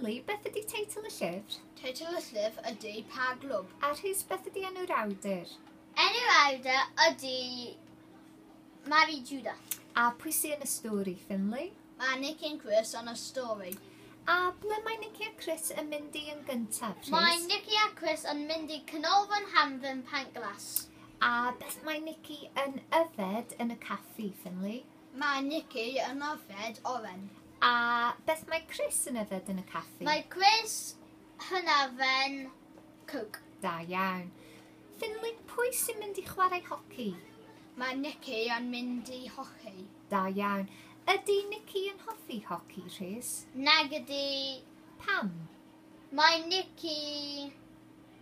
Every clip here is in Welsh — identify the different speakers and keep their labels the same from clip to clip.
Speaker 1: Finley, beth ydy teitl y llyfr?
Speaker 2: Teitl y llyfr ydy Pa Glwb.
Speaker 1: A Rhys, beth ydy enw'r awdur?
Speaker 3: Enw'r awdur ydy Mari Judah.
Speaker 1: A pwy sy'n yn y stori, Finley?
Speaker 2: Mae Nicky and Chris yn y stori.
Speaker 1: A ble mae Nicky a Chris yn mynd i yn gyntaf, Rhys?
Speaker 3: Mae Nicky a Chris yn mynd i Canolfan Hamdden Pantglas.
Speaker 1: A beth mae Nicky yn yfed yn y caffi, Finley?
Speaker 2: Mae Nicky yn yfed oren.
Speaker 1: A beth mae Chris yn yfed yn y caffi?
Speaker 3: Mae Chris yn yfed Coke.
Speaker 1: Da iawn. Finley, pwy sy'n mynd i chwarae hoci?
Speaker 2: Mae Nicky yn mynd i hoci.
Speaker 1: Da iawn. Ydy Nicky yn hoffi hoci, Rhys?
Speaker 3: Nag ydy...
Speaker 1: Pam?
Speaker 3: Mae Nicky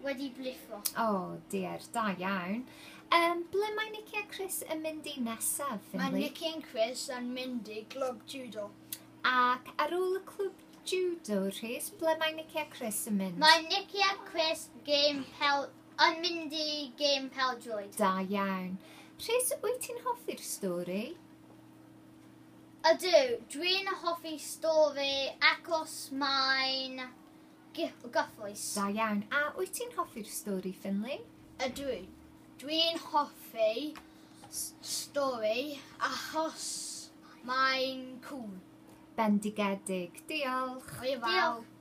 Speaker 3: wedi blifo.
Speaker 1: O, oh, dear, da iawn. Ble mae Nicky a Chris yn mynd i nesaf,
Speaker 2: Mae
Speaker 1: Finley?
Speaker 2: Nicky and Chris yn mynd i glwb judo.
Speaker 1: Ac ar ôl y clwb judo, Rhys, ble mae Nicky a Chris yn mynd?
Speaker 3: Mae Nicky a Chris game pel, yn mynd i game peldroed.
Speaker 1: Da iawn. Rhys, wyt ti'n hoffi'r stori?
Speaker 3: Ydw, dwi'n hoffi stori achos mae'n gyffrous.
Speaker 1: Da iawn. A wyt ti'n hoffi'r stori, Finley?
Speaker 2: Ydw. Dwi'n hoffi stori achos mae'n cool.
Speaker 1: Bendigedig. Diolch.
Speaker 2: Hwyl fawr.
Speaker 3: Diolch.